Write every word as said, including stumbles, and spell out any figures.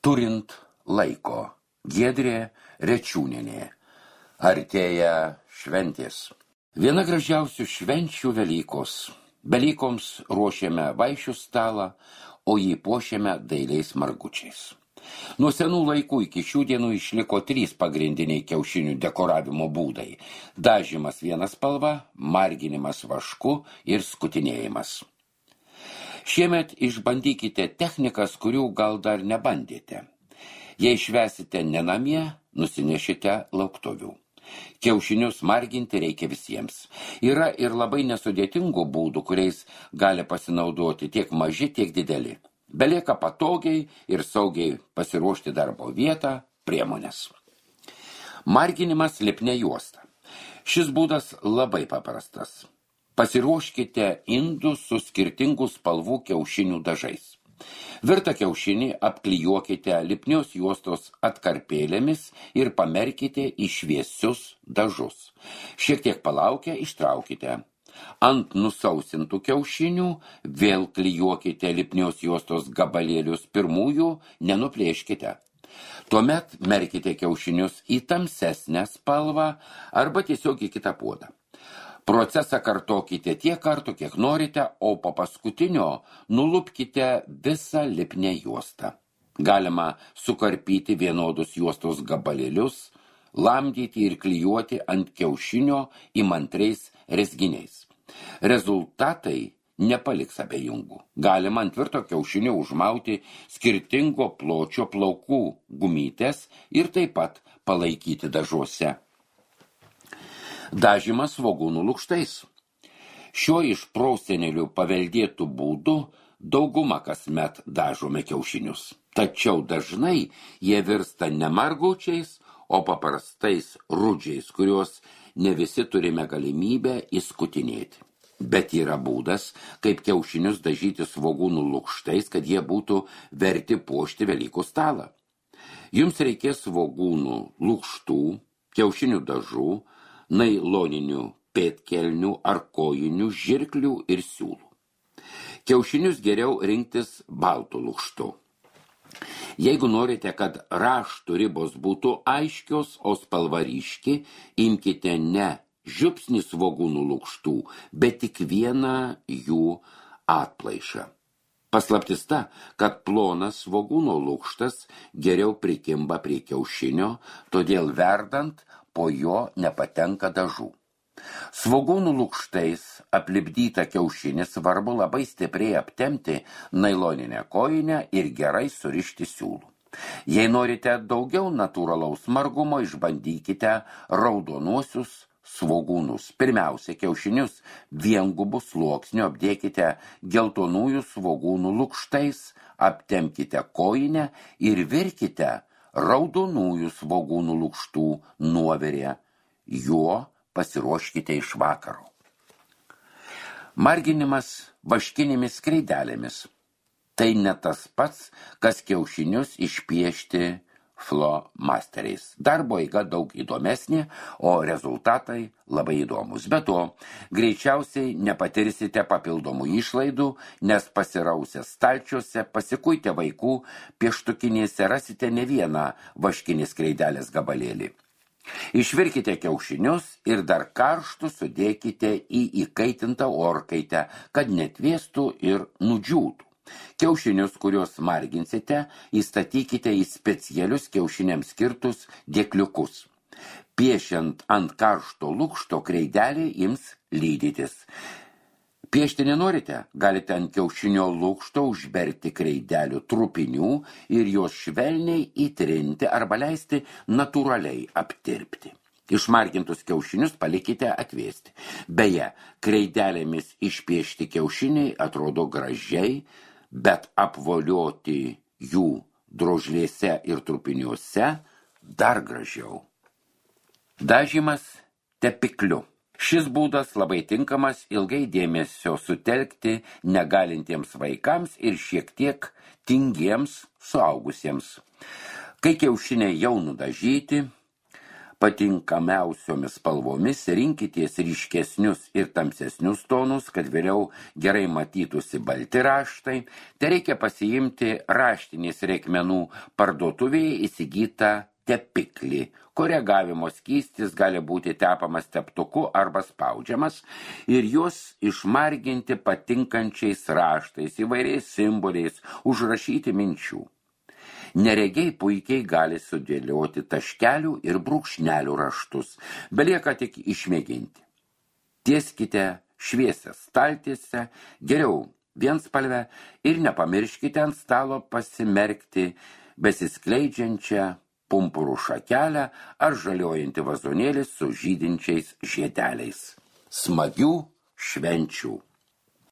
Turint laiko. Giedrė Rečiūnienė. Artėja šventės. Viena gražiausių švenčių Velykos. Velykoms ruošiame vaišių stalą, o jį puošiame dailiais margučiais. Nuo senų laikų iki šių dienų išliko trys pagrindiniai kiaušinių dekoravimo būdai. Dažymas viena spalva, marginimas vašku ir skutinėjimas. Šiemet išbandykite technikas, kurių gal dar nebandėte. Jei švęsite ne namie, nusinešite lauktuvių. Kiaušinius marginti reikia visiems. Yra ir labai nesudėtingų būdų, kuriais gali pasinaudoti tiek maži, tiek dideli. Belieka patogiai ir saugiai pasiruošti darbo vietą, priemonės. Marginimas lipnia juosta. Šis būdas labai paprastas. Pasiruoškite indus su skirtingų spalvų kiaušinių dažais. Virtą kiaušinį apklijuokite lipnios juostos atkarpėlėmis ir pamerkite į šviesius dažus. Šiek tiek palaukę ištraukite. Ant nusausintų kiaušinių vėl klijuokite lipnios juostos gabalėlius, pirmųjų nenuplėškite. Tuomet merkite kiaušinius į tamsesnę spalvą arba tiesiog į kitą puodą. Procesą kartokite tiek kartų, kiek norite, o po paskutinio nulupkite visą lipnią juostą. Galima sukarpyti vienodus juostos gabalėlius, lamdyti ir klijuoti ant kiaušinio įmantriais rezginiais. Rezultatai nepaliks abejingų. Galima ant tvirto kiaušinio užmauti skirtingo pločio plaukų gumytės ir taip pat palaikyti dažuose. Dažymas svogūnų lukštais. Šiuo iš prosenelių paveldėtų būdu dauguma kasmet dažome kiaušinius. Tačiau dažnai jie virsta ne margučiais, o paprastais rudžiais, kuriuos ne visi turime galimybę įskutinėti. Bet yra būdas, kaip kiaušinius dažyti svogūnų lukštais, kad jie būtų verti puošti Velykų stalą. Jums reikės svogūnų lukštų, kiaušinių dažų, nailoninių pėdkelnių ar kojinių, žirklių ir siūlų. Kiaušinius geriau rinktis baltų lukštų. Jeigu norite, kad raštų ribos būtų aiškios, o spalva ryški, imkite ne žiupsnį svogūnų lukštų, bet tik vieną jų atplaišą. Paslaptis ta, kad plonas svogūno lukštas geriau prikimba prie kiaušinio, todėl verdant po jo nepatenka dažų. Svogūnų lukštais aplipdytą kiaušinį svarbu labai stipriai aptempti nailoninę kojinę ir gerai surišti siūlų. Jei norite daugiau natūralaus margumo, išbandykite raudonuosius svogūnus. Pirmiausia, kiaušinius viengubų sluoksniu apdėkite geltonųjų svogūnų lukštais, aptempkite kojinę ir virkite raudonųjų svogūnų lukštų nuovirę. Juo pasiruoškite iš vakaro. Marginimas vaškinėmis kreidelėmis. Tai ne tas pats, kas kiaušinius išpiešti flomasteriais. Darbo eiga daug įdomesnė, o rezultatai labai įdomus. Be to, greičiausiai nepatirsite papildomų išlaidų, nes pasirausę stalčiuose, pasikuitę vaikų pieštukinėse rasite ne vieną vaškinės kreidelės gabalėlį. Išvirkite kiaušinius ir dar karštų sudėkite į įkaitintą orkaitę, kad netvėstų ir nudžiūtų. Kiaušinius, kuriuos marginsite, įstatykite į specialius kiaušiniams skirtus dėkliukus. Piešiant ant karšto lukšto kreidelį ims lydytis. Piešti nenorite, galite ant kiaušinio lukšto užberti kreidelių trupinių ir juos švelniai įtrinti arba leisti natūraliai aptirpti. Išmargintus kiaušinius palikite atvėsti. Beje, kreidelėmis išpiešti kiaušiniai atrodo gražiai, bet apvolioti jų drožlėse ir trupiniuose dar gražiau. Dažymas tepikliu. Šis būdas labai tinkamas ilgai dėmesio sutelkti negalintiems vaikams ir šiek tiek tingiems suaugusiems. Kai kiaušiniai jau nudažyti, patinkamiausiomis spalvomis rinkitės ryškesnius ir tamsesnius tonus, kad vėliau gerai matytųsi balti raštai. Tai reikia pasiimti raštinės reikmenų parduotuvėje įsigytą tepiklį. Koregavimo skystis gali būti tepamas teptuku arba spaudžiamas ir juos išmarginti patinkančiais raštais, įvairiais simboliais, užrašyti minčių. Neregiai puikiai gali sudėlioti taškelių ir brūkšnelių raštus, belieka tik išmėginti. Tieskite šviesią staltiesę, geriau vienspalvę ir nepamirškite ant stalo pasimerkti besiskleidžiančią pumpurų šakelę ar žaliojantį vazonėlį su žydinčiais žiedeliais. Smagių švenčių!